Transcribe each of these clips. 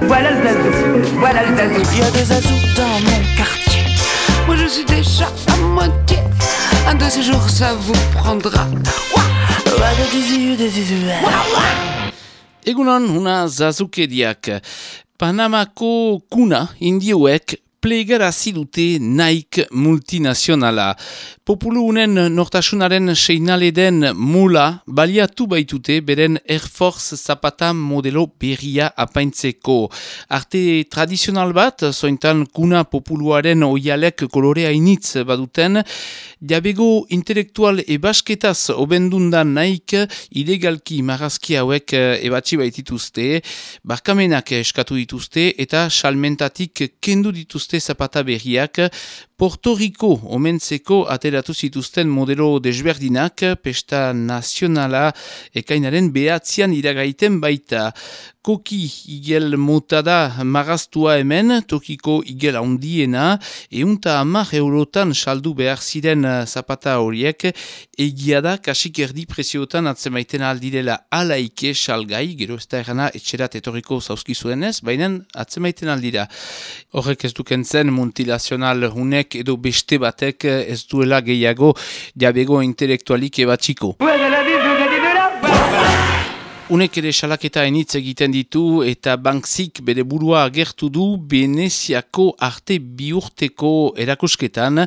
Voilà le zazou, voilà le zazou. Il y a des zazous dans mon quartier. Moi je suis déjà à moitié. Un de ces jours ça vous prendra. Egunon, una zazukeriak. Panamako kuna indioek plegarazi dute Nike multinazionala. Populu unen nortasunaren seinale den mula baliatu baitute beren Air Force zapata modelo berria apaintzeko. Arte tradizional bat, zointan kuna populuaren oialek kolorea initz baduten, jabego intelektual ebasketaz obendundan Nike ilegalki marrazki hauek ebatzi baitituzte, barkamenak eskatu dituzte eta salmentatik kendu dituzte zapata berriak. Porto Rico omentzeko ateratu zituzten modelo desberdinak, pesta nazionala ekainaren behatzian iragaiten baita. Koki igel mota da marraztua hemen, tokiko igel handiena, 110 eurotan saldu behar ziren zapata horiek, egia da kasik erdi preziotan atzemaiten aldirela alaike salgai, gero ez da erana etxerat etorriko zauzkizuenez, baina atzemaiten aldira. Horrek ez dukentzen multilazional hunek edo beste batek ez duela gehiago jabego intelektualik ebatziko. Unek ere salaketa enitz egiten ditu eta Banksik bere burua agertu du Veneziako arte biurteko erakusketan.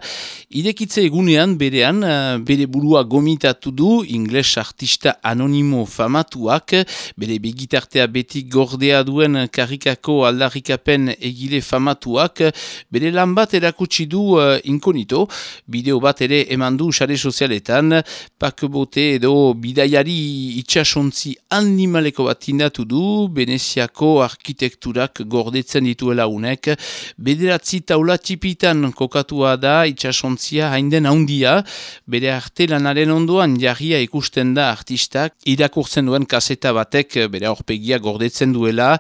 Irekitze egunean berean bere burua gomitatu du ingles artista anonimo famatuak, bere begitartea beti gordea duen karikako aldarrikapen egile famatuak, bere lan bat erakutsi du inkonito, bideo bat ere eman du sare sozialetan, pakebote edo bidaiari itxasontzi animaleko bat tindatu du, Veneziako arkitekturak gordetzen dituela unek, bederatzi taula tipitan kokatua da itxasontzia hainden handia, bere arte lanaren ondoan jarria ikusten da artistak, irakurtzen duen kaseta batek bere aurpegia gordetzen duela.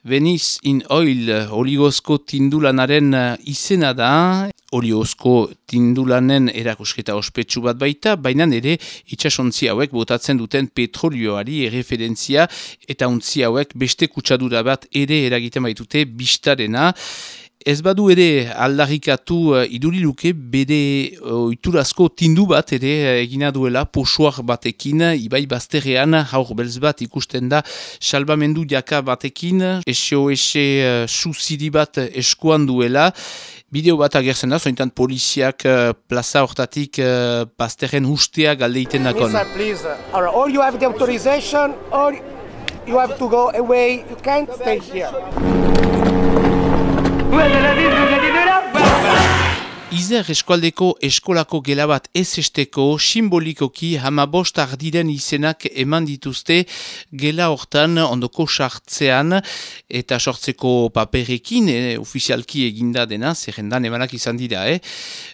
Venice in Oil oligozko tindulanaren izena da, oliozko tindulanen erakusketa ospetsu bat baita, baina ere itxasontzi hauek botatzen duten petrolioari erreferentzia eta untzi hauek beste kutsadura bat ere eragiten baitute bistarena. Ez badu ere aldarrikatu iduriluke bere oiturazko tindu bat ere egina duela posuar batekin, ibai bazterrean haur belz bat ikusten da salbamendu jaka batekin, SOS suziri bat eskuan duela. Bideo bat agertzen da, zointan poliziak plaza hortatik bazterren ustea galdeiten dakon. Mister, please, or you have the authorization or you have to go away, you can't stay here. Izer eskualdeko eskolako gela bat ez esteko simbolikoki 15 ardiren izenak eman dituzte gela hortan ondoko sartzean eta sortzeko paperekin, ofizialki eginda dena, zerrendan emanak izan dira.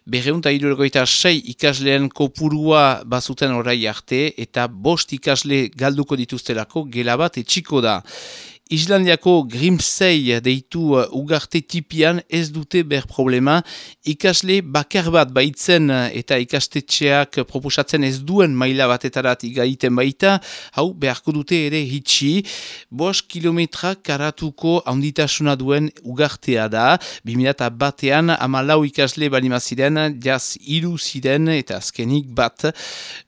276 ikasleen kopurua bazuten orai arte eta 5 ikasle galduko dituztelako gela bat etxiko da. Islandiako Grimsey deitu ugarte tipian ez dute ber problema, ikasle bakar bat baitzen eta ikastetxeak proposatzen ez duen maila batetarat igaiten baita, hau beharko dute ere hitxi, 5 kilometra karatuko handitasuna duen ugartea da, 2001an 14 ikasle balimaziren, jaz 3 ziren eta azkenik bat.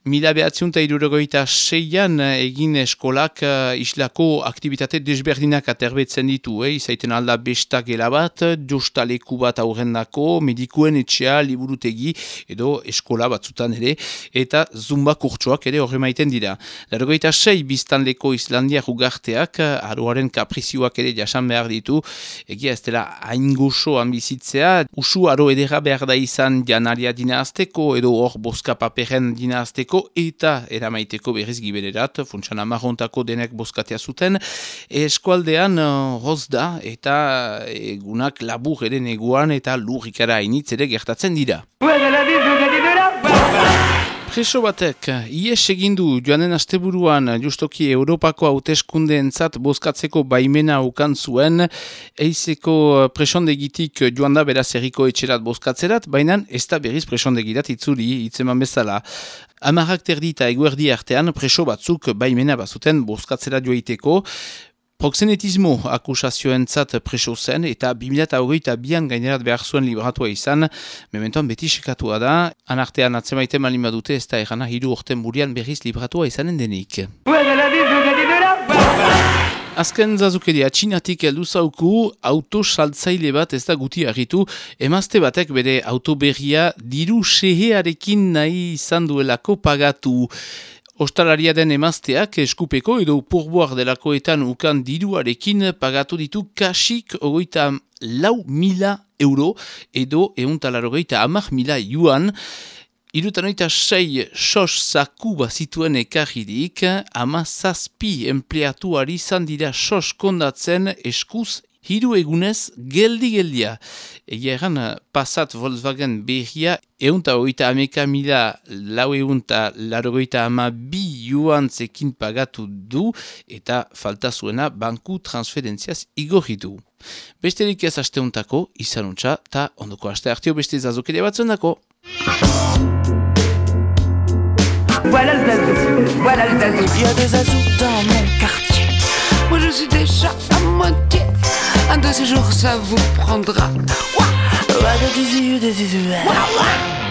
1976an egin eskolak islako aktivitate desberdinak aterbetzen ditu, izaiten alda besta gela bat, jostaleku bat aurrendako, medikuen etxea, liburutegi, edo eskola batzutan ere, eta zumba kurtsoak ere horre maiten dira. 96 biztanleko Islandiak ugarteak, aroaren kaprizioak ere jasan behar ditu, egia ez dela hain gozoan bizitzea, usu aro edera behar da izan janaria dinazteko, edo hor boska paperen dinazteko, eta eramaiteko berriz gibererat, funtsan amarrontako denek boskatea zuten, eskualdean hoz da, eta egunak labur ere neguan eta lurrikara hainitz ere gertatzen dira. Preso batek, ies egindu joanen asteburuan justoki Europako hauteskundeentzat bozkatzeko baimena ukan zuen, eizeko presondegitik joan da beraz herriko etxerat bozkatzerat, baina ez da berriz presondegirat itzuli, itzeman bezala. Amarrak terdi eta eguerdi artean preso batzuk baimena bazuten bozkatzera joiteko, Proxenetismo akusazioentzat preso zen eta 2022an gainerat behar zuen libratua izan, mementoan beti sekatua da, anartean atzemaiten malin badute ez da erana 3 urten burian berriz libratua izanen denik. Azken zazukeria txinatik heldu zauku, autosaltzaile bat ez da guti argitu, emazte batek bere autoberria diru sehearekin nahi izan duelako pagatu. Ostalaria den emazteak eskupeko edo pourboire delakoetan ukan diruarekin pagatu ditu kasik 24.000 euro edo 150.000 yuan. 76 sos zaku bazituen ekarririk, 17 empleatuari izan dira sos kondatzen eskuz 3 egunez geldi-geldia. Egia egan, Passat Volkswagen berria 130.982 yuantzekin pagatu du eta falta zuena banku transferentziaz igorritu. Besterik ez asteuntako, izanuntza, eta ondoko aste hartio beste zazokeria batzendako. Voilà le Zazou, voilà le Zazou. Il y a des zazous dans mon quartier. Moi je suis déjà à moitié. Un de ces jours ça vous prendra. Ouah, ouah, ouah, ouah.